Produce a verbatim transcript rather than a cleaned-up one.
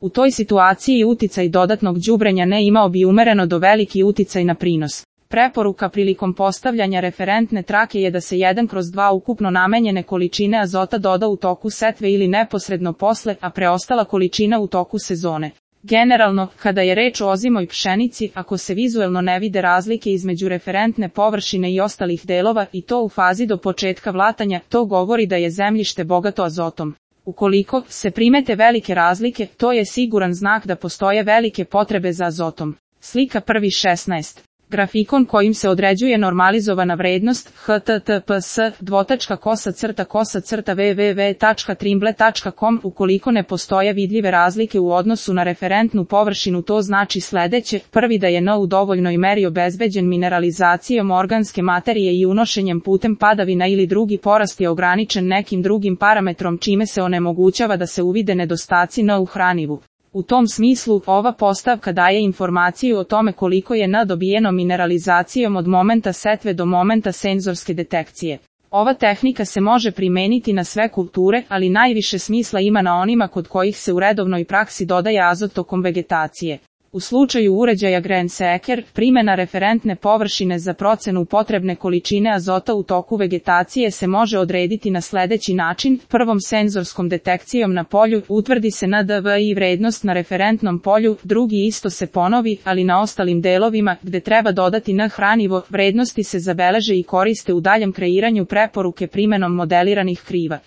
U toj situaciji uticaj dodatnog đubrenja ne imao bi umereno do veliki uticaj na prinos. Preporuka prilikom postavljanja referentne trake je da se jedan kroz dva ukupno namenjene količine azota doda u toku setve ili neposredno posle, a preostala količina u toku sezone. Generalno, kada je reč o ozimoj pšenici, ako se vizuelno ne vide razlike između referentne površine i ostalih delova i to u fazi do početka vlatanja, to govori da je zemljište bogato azotom. Ukoliko se primete velike razlike, to je siguran znak da postoje velike potrebe za azotom. Slika prvi šesnaest. Grafikon kojim se određuje normalizovana vrednost H T T P S dvotačka kosa crta kosa crta w w w tačka trimble tačka com. Ukoliko ne postoje vidljive razlike u odnosu na referentnu površinu, to znači sledeće: prvi, da je N u dovoljnoj meri obezbeđen mineralizacijom organske materije i unošenjem putem padavina ili drugi porast je ograničen nekim drugim parametrom čime se onemogućava da se uvide nedostaci N u hranivu. U tom smislu, ova postavka daje informaciju o tome koliko je N dobijeno mineralizacijom od momenta setve do momenta senzorske detekcije. Ova tehnika se može primeniti na sve kulture, ali najviše smisla ima na onima kod kojih se u redovnoj praksi dodaje azot tokom vegetacije. U slučaju uređaja Grain-Seeker, primjena referentne površine za procenu potrebne količine azota u toku vegetacije se može odrediti na sledeći način: prvom senzorskom detekcijom na polju utvrdi se N D V I vrednost na referentnom polju, drugi isto se ponovi, ali na ostalim delovima, gde treba dodati N hranivo, vrednosti se zabeleže i koriste u daljem kreiranju preporuke primenom modeliranih kriva.